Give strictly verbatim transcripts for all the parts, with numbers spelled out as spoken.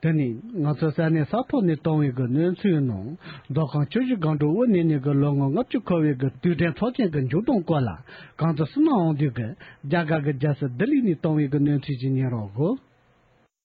དེ་ནི་ང་ཚོ་ས་གནས་ས་ཐོག་ནས་བཏང་བའི་གི་གནས་ཚུལ་ནང་། མདོ་ཁམས་ཆུ་བཞི་སྒང་དྲུག་དབུ་བརྙེས་ནས་གི་ལོ་ངོ་ལྔ་བཅུ་འཁོར་བའི་གི་དུས་དྲན་ཚོགས་ཆེན་གི་མཇུག་སྡོམ་སྐོར་ལ། གང་དུ་སུ་མ་འོང་དུས་གི་རྒྱ་གར་གི་རྒྱལ་ས་ལྡི་ལི་ནས་བཏང་བའི་གི་གནས་ཚུལ་ཅིག་ཉན་རོགས་གོ།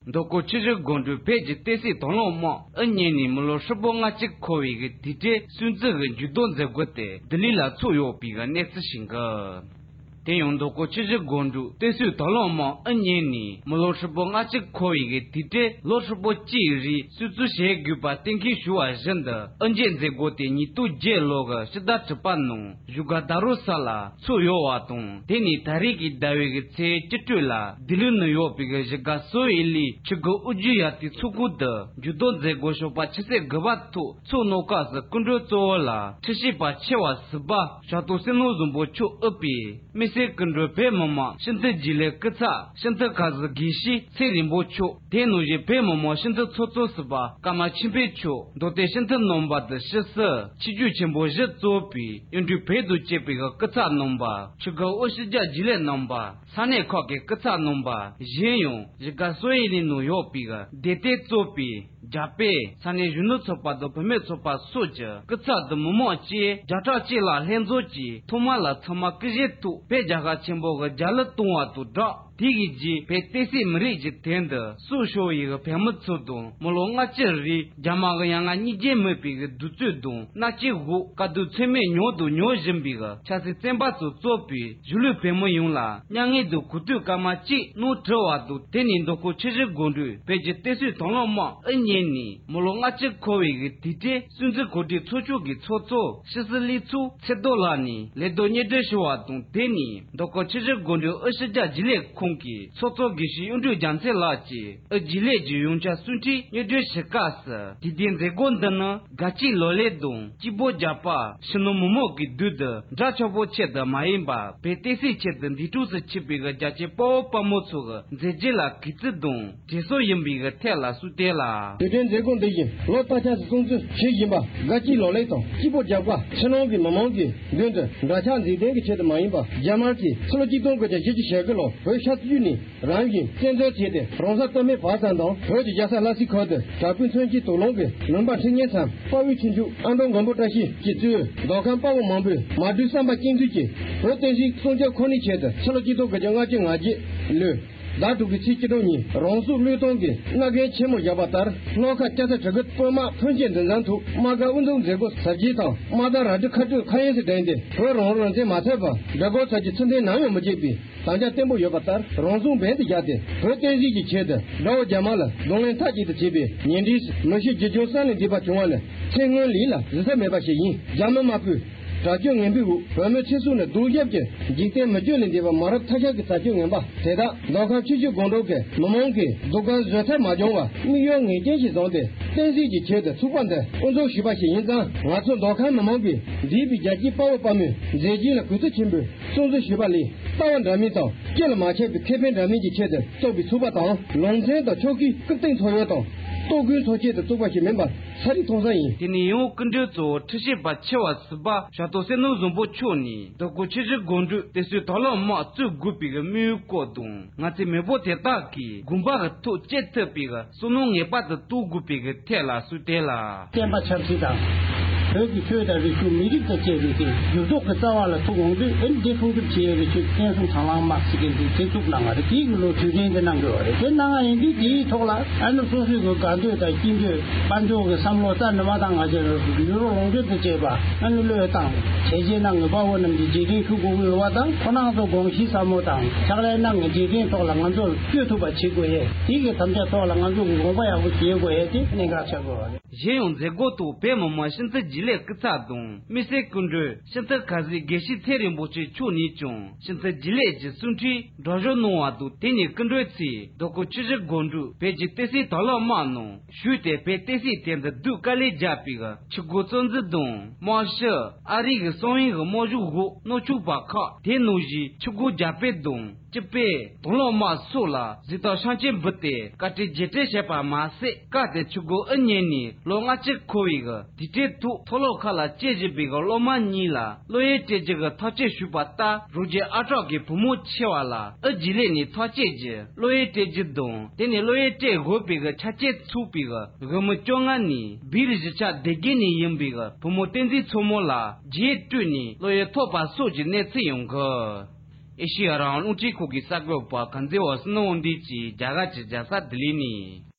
མདོ་ཁམས་ཆུ་བཞི་སྒང་དྲུག་བོད་ཀྱི་བསྟན་སྲིད་དང་བླངས་དམག་དབུ་བརྙེས་ནས་མི་ལོ་ཧྲིལ་པོ་ལྔ་བཅུ་འཁོར་བའི་གི་དུས་དྲན་སྲུང་བརྩི་གི་མཇུག་སྡོམ་མཛད་སྒོ་དེ་ལྡི་ལི་ལ་ཚོགས་ཡོད་པའི་གི་གནས་ཚུལ་ཞིག་གི། དེ་ཡང་མདོ་ཁམས་ཆུ་བཞི་སྒང་དྲུག་བསྟན་སྲིད་དང་བླངས་དམག་དབུ་བརྙེས་ནས་མི་ལོ་ཧྲིལ་པོ་ལྔ་བཅུ་འཁོར་བའི་གི་དུས་དྲན་ལོ་ཧྲིལ་པོ་གཅིག་རིང་སྲུང་བརྩི་བྱེད་དགོས་པ་གཏན་འཁེལ་ཞུ་བ་བཞིན་དུ། དབུ་འབྱེད་མཛད་སྒོ་དེ་ཉིས་སྟོང་བརྒྱད་ལོ་གི་ཕྱི་ཟླ་དྲུག་པ་ནང་བཞུགས་སྒར་རྡ་རམ་ས་ལ་ཚོགས་ཡོད་པ་དང་། དེ་ནི་ད་རེས་ཀྱི་ཟླ་བའི་གི་ཚེས་བཅུ་དྲུག་ལ་ལྡི་ལི་ནང་ཡོད་པའི་གི་གཞིས་ཀ་སོ་ཡི་ལི་ཆུ་འགོ་དབུ་བརྙེས་ཡ་དེ་ཚོགས་ཁང་དུ་མཇུག་སྡོམ་མཛད་སྒོ་ཞོགས་པ་ཆུ་ཚོད་དགུ་པ་ཐོག་ཚོགས་གནང་སྐབས་སུ། སྐུ་མགྲོན་གཙོ་བོ་ལ་ཁྲི་བྱང་པ་ཆེ་བ་ཟུར་པ་ཞབས་ཏོག་བསོད་ནམས་བཟང་པོ་མཆོག་དབུས་པའི་དམིགས་བསལ་སྐུ་མགྲོན་བོད་མི་མང་སྤྱི་འཐུས་རྒྱུན་ལས་སྐུ་ཚབ་ཤིན་ཏུ་ཁ་ཟི་དགེ་བཤེས་ཚེ་རིང་པོ་མཆོག་དེ་ནང་བཞིན་བོད་མི་མང་སྤྱི་འཐུས་ཚོགས་གཙོ་ཟུར་པ་ཀརྨ་ཆོས་འཕེལ་མཆོག་མདོ་སྟོད་སྤྱི་འཐུས་རྣམ་པ་དང་ཕྱི་སྲིད་ཆོས་བརྒྱུད་ཆེན་པོ་བཞི་གཙོས་པའི་གཡུང་དྲུང་བོན་དང་བཅས་པའི་སྐུ་ཚབ་རྣམ་པ། ཆུ་འགོ་དབུ་ཞི་རྒྱ་རྒྱུན་ལས་རྣམ་པ། ས་གནས་ཁག་གི་སྐུ་ཚབ་རྣམ་པ། གཞན་ཡང་གཞིས་ཀ་སོ་ཡི་ལི་ནང་ཡོད་པའི་སྡེ་དེ་གཙོས་པའི་རྒྱ་བལ་ས་གནས་གཞོན་ནུ་ཚོགས་པ་དང་བུད་མེད་ཚོགས་པ་སོགས་ཀྱི་སྐུ་ཚབ་དང་མི་མང་བཅས་བརྒྱ་ཕྲག་གཅིག་ལ་ལྷན་འཛོམས་ཀྱིས་ཐོག་མ་ལ་ཚང་མ་སྐུ་བཞེངས་ཐོག་བོད་རྒྱལ་ཁབ་ཆེན་པོ་གི་རྒྱལ་གླུ་གཏོང་བ་དང་སྦྲགས། དེ་གི་རྗེས་བོད་བསྟན་སྲིད་མི་རིགས་ཀྱི་དོན་དུ་སྲོག་ཤོར་བའི་བོད་མི་ཚོ་དང་། མི་ལོ་ལྔ་བཅུ་རིང་རྒྱ་དམར་གྱི་ཡ་ང་སྙིང་རྗེ་མེད་པའི་གདུག་རྩུབ་དང་མནར་གཅོད་འོག་དཀའ་སྡུག་ཚད་མེད་མྱོང་དང་མྱོང་བཞིན་པའི་ཆབ་སྲིད་བཙོན་པ་ཚོ་གཙོས་པའི་གཞིས་ལུས་བོད་མི་ཡོངས་ལ་མྱ་ངན་དང་གུས་འདུད་སྐར་མ་གཅིག་གནང་བྲོ་བ་དང་། དེ་ནི་མདོ་ཁམས་ཆུ་བཞི་སྒང་དྲུག་བོད་ཀྱི་བསྟན་སྲིད་དང་བླངས་དམག་དབུ་བརྙེས་ནས་མི་ལོ་ལྔ་བཅུ་འཁོར་བའི་གི་དུས་དྲན་སྲུང་བརྩི་གོ་སྒྲིག་ཚོགས་ཆུང་གི་ཚོགས་གཙོ་ཕྱི་སྲིད་ལས་ཚོགས་ཚེ་རྡོར་ལགས་ནས་ལས་དོན་སྙན་སྒྲོན་ཞུ་བ་དང་། དེ་ནི་མདོ་ཁམས་ཆུ་བཞི་སྒང་དྲུག་དབུས་ཕྱི་རྒྱལ་རྒྱུན་ལས་ཁང་གི་ཚོགས་གཙོ་དགེ་བཤེས་གཡུང་དྲུང་རྒྱལ་མཚན་ལགས་ཀྱིས་དབུས་རྒྱུན་ལས་ཀྱི་ཡོངས་ཁྱབ་གསུང་འཕྲིན་སྙན་སྒྲོན་ཞུ་སྐབས་སུ། དུས་དྲན་མཛད་སྒོ་འདི་ནི་དགའ་སྐྱིད་ལག་ལེན་དང་སྐྱིད་པོ་རྒྱག་པ། ཕྱི་ནང་མི་མང་གི་དོན་དུ་འདྲ་ཆགས་པོ་ཆེད་དུ་མ་ཡིན་པར། བོད་བསྟན་སྲིད་ཆེད་དུ་འདས་གྲོངས་སུ་ཕྱིན་པའི་རྒྱལ་གཅེས་དཔའ་བོ་དཔའ་མོ་ཚོ་གི་མཛད་རྗེས་ལ་གུས་བརྩི་དང་དྲན་གསོ་ཡིན་པའི་ཐད་ལ་གསུངས་དོན་ལ། དུས་དྲན་མཛད་སྒོ་འདི་བཞིན་ལོ་ལྟར་ཆགས་སུ་སྲུང་བརྩི་བྱེད་བཞིན་པ། དགའ་སྐྱིད་ལག་ལེན་དང་སྐྱིད་པོ་རྒྱག་པ། ཕྱི་ནང་གི་མི་མང་གི་མདུན་དུ་འདྲ་ཆགས་འཛིན་ལྡན་གྱི་ཆེད་དུ་མ་ཡིན་པ། རྒྱ་དམར་གྱིས་ཕྱི་ལོ་ཆིག་སྟོང་དགུ་བརྒྱ་བཞི་བཅུ་ཞེ་དགུ་ལོར་བོད་ཤར་ཕྱོགས་ནས་རང་བཞིན་བཙན་འཛུལ་བྱས་ཏེ། རང་ས་སྟོད་སྨད་བར་མཚམས་དང་བོད་ཀྱི་རྒྱལ་ས་ལྷ་སའི་ཁུལ་དུ་དྲག་པོའི་མཚོན་ཆའི་དོགས་སློང་གིས་ལུང་པ་ཁྲི་གཉན་མཚམས་དཔའ་བོའི་ཁྱུ་མཆོག་ཨ་འབྲོང་མགོན་པོ་བཀྲ་ཤིས་ཀྱིས་གཙོས་མདོ་ཁམས་དཔའ་བོ་མང་པོས་མ་གྲོས་བསམ་པ་གཅིག་མཐུན་གྱིས་བོད་བསྟན་སྲིད་སྲུང་སྐྱོབ་ཁོ་ནའི་ཆེད་དུ་ཕྱི་ལོ་ཆིག་སྟོང་དགུ་བརྒྱ་ལྔ་བཅུ་ང་བརྒྱད་ལོའི་ཟླ་དྲུག་པའི་ཚེས་བཅུ་དྲུག་ཉིན་རང་སྲོག་བློས་གཏོང་གི་མནར་གན་ཆེན་མོ་བཞག་པ་ལྟར། ལྷོ་ཁ་སྐྱ་ས་གྲི་གུ་དཔོན་དམག་ཕོན་ཆེན་འདུ་འཛོམས་ཐོག་དམག་སྒར་དབུ་འཛུགས་མཛད་སྒོ་གཟབ་རྒྱས་དང་། དམག་སྒར་རལ་གྲི་ཁ་སྤྲོད་ཁ་གཡེང་སུ་བསྒྲེངས་ཏེ། བོད་རང་ལུགས་རང་བཙན་མ་ཐོབ་པར་དགྲ་རྒོལ་ཚོགས་ཀྱི་ཚུལ་མཐུན་ནམ་ཡང་མི་བྱེད་པའི་དམ་བཅའ་བརྟན་པོ་ཡོད་པ་ལྟར། རང་སྲོག་འབེན་དུ་བཞག་སྟེ་བོད་བསྟན་སྲིད་ཀྱི་ཆེད་དུ་དགྲ་བོ་རྒྱ་དམར་ལ་གདོང་ལེན་མཐའ་གཅིག་ཏུ་བྱས་པའི་ཉེ་འབྲེལ་མི་ཤི་རྒྱུ་ཆུང་ས་ནས་འདས་པ་བྱུང་བ་ནི་ཚེ་སྔོན་ལས་ལ་གཟི་ས་མེད་པ་ཞིག་ཡིན། རྒྱ་མི་དམར་པོའི་དྲག་སྤྱོད་ངན་པའི་འོག་བོད་མི་ཚེ་སྲོག་ནི་གདུག་རྒྱབ་ཀྱི་འཇིག་རྟེན་མི་བསྐྱོད་ལས་འདས་པ་མ་རབས་ཐ་ཤལ་གྱི་དྲག་སྤྱོད་ངན་པ་དེ་དག་མདོ་ཁམས་ཆུ་བཞི་སྒང་དྲུག་གི་མི་མང་གིས་སྡུག་སྐད་བཟོད་ཐབས་མ་བྱུང་བར་དམིགས་ཡུལ་ངེས་ཅན་ཞིག་བཟུང་སྟེ། བསྟན་སྲིད་ཀྱི་ཆེད་དུ་ཚོགས་པ་འདི་དབུ་འཛུགས་ཞུས་པ་ཞིག་ཡིན་ཙང་། ང་ཚོ་མདོ་ཁམས་མི་མང་གིས་འདས་པའི་རྒྱལ་གཅེས་དཔའ་བོ་དཔའ་མོའི་མཛད་རྗེས་ལ་གུས་བརྩི་ཆེན་པོས་སྲུང་བརྩི་ཞུས་པ་ལས། ལྟ་བ་འདྲ་མིན་དང་སྐྱེ་ལ་མ་ཆགས་པའི་ཁེ་ཕན་འདྲ་མིན་གྱི་ཆེད་དུ་བཙུགས་པའི་ཚོགས་པ་དང་། ལུང་ཚན་དང་ཆོལ་ཁའི་རྐུབ་སྟེགས་ཚོར་ཡུལ་དང་ལྟོ་གོས་འཚོལ་ཆེད་དུ་བཙུགས་པ་ཞིག་མིན་པ་ཚ་རིག་མཐོང་ས་ཡིན། དེ་ནས་ཡང་སྐུ་མགྲོན་གཙོ་བོ་ཁྲི་བྱང་པ་ཆེ་བ་ཟུར་པ་ཞབས་ཏོག་བསོད་ནམས་བཟང་པོ་མཆོག་ནས། མདོ་ཁམས་ཆུ་བཞི་སྒང་དྲུག་བསྟན་སྲིད་དང་བླངས་དམག་བཙུགས་དགོས་པའི་དམིགས་ཡུལ་སྐོར་དང་། ང་ཚོའི་མི་འབོར་དེ་དག་གིས་དགོན་པ་གི་ཐོག་སྐྱེལ་ཐུབ་པའི་བསོད་ནམས་ངེས་པར་དུ་གཏོང་དགོས་པའི་ཐད་ལ་གསུངས་དོན་ལ། བསྟན་པ་ཆབ་སྲིད་དང་། བོད་ཀྱི་ཆོས་དང་རིག་གཞུང་མི་རིགས་དང་བཅས་པའི་གི་འགྱུར་ལྡོག་གི་རྩ་བ་ལ་ཐུག་འོང་དུས། ཨེ་འདི་སྲུང་སྐྱོབ་བྱེད་ཡས་ཀྱི་ཆེད་བསྟན་སྲུང་དང་བླངས་དམག་ཟེར་མཁན་འདི་གཅིག་བཙུགས་གནང་བ་རེད། དེའི་གི་ལོ་དུས་དྲན་འདི་གནང་དགོས་པ་རེད། དེ་གནང་བ་ཡིན་དུས་དེའི་ཐོག་ལ་ཨ་ནི་སོ་སོའི་གི་དགའ་འདོད་དང་སྐྱིད་འདོད་དཔལ་འབྱོར་གི་བསམ་བློ་རྩ་ནས་མ་བཏང་། ང་ཚོས་ཡུལ་རོགས་ལུང་སྟོན་དང་བཅས་པ་ཨ་ནི་བློས་བཏང་། གལ་ཆེ་ན་ངེས་པར་དབུ་རྣམས་ཀྱི་རྗེས་དྲན་ཞུ་དགོས་ཀྱི་ཡོད་པ་དང་། ཁོ་རང་ཚོ་དགོངས་གཞི་ཟབ་མོ་དང་ཕྱག་ལས་གནང་གི་རྗེས་དྲན་ཐོག་ལ་ང་ཚོ་བསྐྱོད་ཐུབ་པ་བྱེད་དགོས་ཡས། དེའི་གི་དམ་བཅའ་ཐོག་ལ་ང་ཚོ་གི་དགོངས་པ་ཡག་པོ་བཞེས་དགོས་ཡས་དེ་གནད་འགག་ཆགས་དགོས་པ་རེད། གཞན་ཡང་མཛད་སྒོ་ཐོག་བོད་མི་མང་སྤྱི་འཐུས་རྒྱུན་ལས་སྐུ་ཚབ་དང་། དམིགས་བསལ་སྐུ་མགྲོན་སྤྱི་འཐུས་ཁ་ཟས་དགེ་བཤེས་ཚེ་རིང་པོ་མཆོག་ནས་ཀྱང་སྤྱི་འཐུས་རྒྱུན་ལས་ཀྱི་གསུང་འཕྲིན་སྒྲོག་སྦྱང་གནང་བ་དང་། དེ་ནས་སྐུ་མགྲོན་ཚོས་མདོ་ཁམས་ཆུ་བཞི་སྒང་དྲུག་བོད་ཀྱི་བསྟན་སྲིད་དང་བླངས་དམག་ནང་ཞུགས་ཏེ། བོད་བསྟན་སྲིད་དོན་དུ་སྡུག་དཀའ་ལས་བརྒྱབ་པའི་ཆུ་འགོ་གཙོ་འཛིན་དང་། དམག་སྤྱི། ཨ་རི་གི་གསང་བའི་དམག་སྦྱོང་འོག་མནར་གཅོད་པ་ཁག་དེ་ནང་བཞིན་ཆུ་འགོ་རྒྱ་བལ་དང་། སྤྱི་པས་དང་བླངས་དམག་སོགས་ལ་གཟེངས་རྟགས་ཤམ་སྐྱོང་འབུལ་ཏེ་བཀའ་དྲིན་རྗེས་དྲན་བྱས་པ་མ་ཟད། སྐབས་དེར་ཆུ་སྒོ་ཨུ་གཉན་ནས་ལོ་ལྔ་བཅུ་འཁོར་བའི་གི་དུས་དྲན་ཐོག་མཐོ་སློབ་ཁག་ལ་བསྐྱོད་བཞིན་པའི་གི་སློབ་མ་གཉིས་ལ་སློབ་ཡོན་སྤྲད་རྒྱུ་གི་ཐག་གཅོད་ཞུས་པ་ལྟར། རོགས་རྒྱུ་ཨ་གྲོགས་ཀྱི་བུ་མོ་ཆེ་བ་ལ་ཨུ་རྒྱན་ལས་ནས་ཐག་བཅད་རྒྱུ། སློབ་ཡོན་སྤྲད་རྒྱུ་དང་། དེ་ནས་སློབ་ཡོན་སྤྲད་དགོས་པའི་གི་ཆ་རྐྱེན་ཚུགས་པའི་གི་དབུས་མི་བཅོ་ལྔ་ནས་སྦིར་གཞིས་ཆགས་སྡེ་དགེ་ནས་ཡིན་པའི་གི་བུ་མོ་བསྟན་འཛིན་མཚོ་མོ་ལ་རྒྱན་སྤྲོད་ནས་སློབ་ཡོན་ཐོབ་པ་སོགས་ཀྱི་གནས་ཚུལ་ཡང་གི། ཨེ་ཤེ་ཡ་རང་དབང་རླུང་འཕྲིན་ཁང་གི་གསར་འགོད་པ་གངས་འཛིན་བ་སུ་ནོ་དབང་འདུས་ཀྱིས་རྒྱ་གར་གྱི་རྒྱལ་ས་ལྡི་ལི་ནས།